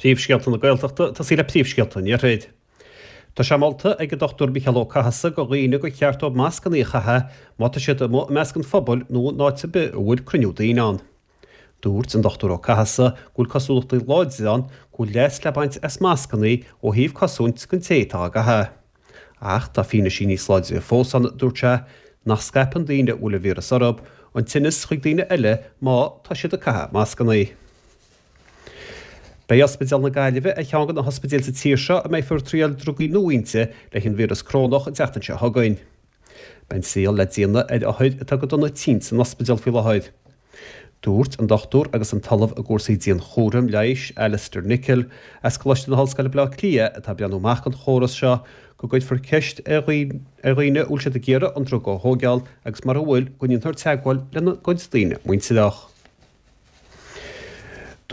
Príomhscéalta na Gaeltachta, ag tosaí le príomhscéalta an Iarthair. Tá sé molta ag an Dr Micheál Ó Cathasaigh do dhaoine gur cheart dóibh mascannaí a chaitheamh má tá siad amuigh i measc an phobail nó in áit ar bith a bhfuil cruinniú daoine ann. Dúirt an Dr Ó Cathasaigh go bhfuil cosúlachtaí láidre ann go bhfuil leas le baint as mascannaí ó thaobh cosaint don té atá á gcaitheamh. Ach tá fianaisí níos láidre fós ann, dúirt sé, nach scaipeann daoine a bhfuil an víreas orthu an tinneas chuig daoine eile má tá siad ag caitheamh mascannaí. Beidh Ospidéal na Gaillimhe ar cheann de na hospidéil sa tír seo a mbeifear ag triail drugaí nua inti leis an víreas corónach an tseachtain seo chugainn. Beidh an triail le déanamh ar othair atá go dona tinn san ospidéal faoi láthair. Dúirt an dochtúir agus an tOllamh i gcúrsaí dianchúraim leighis, Alistair Nicholl, as Coláiste na hOllscoile Baile Átha Cliath, atá ag breathnú amach don chóras seo, go gcuirfear ceist ar dhaoine an bhfuil siad ag iarraidh an druga a thóigeáil agus mura bhfuil, go ndéanfar teagmháil lena gcuid daoine muintireach.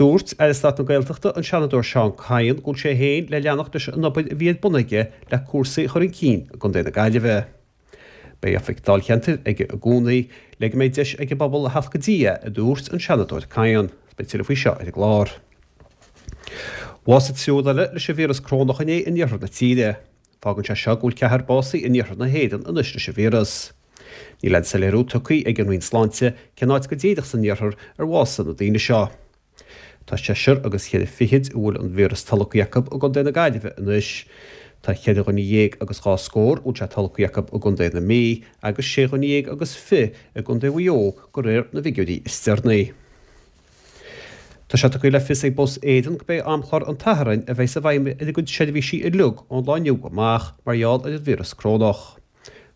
Dúirt Aire Stáit na Gaeltachta, an Seanadóir Seán Kyne, go bhfuil sé féin le leanacht leis an obair a bhí ar bun aige le cúrsaí a chur chun cinn i gContae na Gaillimhe. Beidh oifig dáilcheantair aige i gcónaí le go mbeidh deis ag an bpobal a theacht go dtí é, a dúirt an Seanadóir Kyne. Beidh tuilleadh faoi seo ar an gclár. Bhásaigh triúr eile leis an víreas corónach inné in iarthar na tíre. Fágann sé seo go bhfuil ceathrar básaithe in iarthar na hÉireann anois leis an víreas. Níl aon soiléiriú tugtha ag an Roinn Sláinte cén áit go díreach san iarthar ar bhásaigh na daoine seo. Tá seisear agus cheithre fichid a bhfuil an víreas tolgtha acu i gContae na Gaillimhe anois. Tá cheithre dhuine dhéag agus dhá scór a bhfuil sé tolgtha acu i gContae na Mí agus sé dhuine dhéag agus fiche i gContae Mhaigh Eo de réir na bhfigiúirí is deireanaí. Tá sé tugtha le fios ag Bus Éireann gurb é amchlár an tSathairn a bheas i bhfeidhm ar a gcuid seirbhísí uilig ón lá inniu amach mar gheall ar an víreas corónach.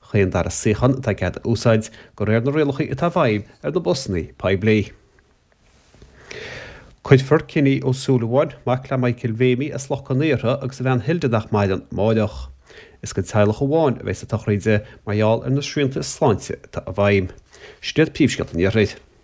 Chaon dara suíochán atá cead a úsáid de réir na rialacha atá i bhfeidhm ar na busanna poiblí. Cuirfear Cinny Ó Súilleabháin, mac le Michael Mhéimí as Loch Con Aortha agus a bhean Hilda nach maireann, amáireach. Is don teaghlach amháin a bheas an tsochraid mar gheall ar na srianta sláinte atá i bhfeidhm. Sin iad príomhscéalta an Iarthair.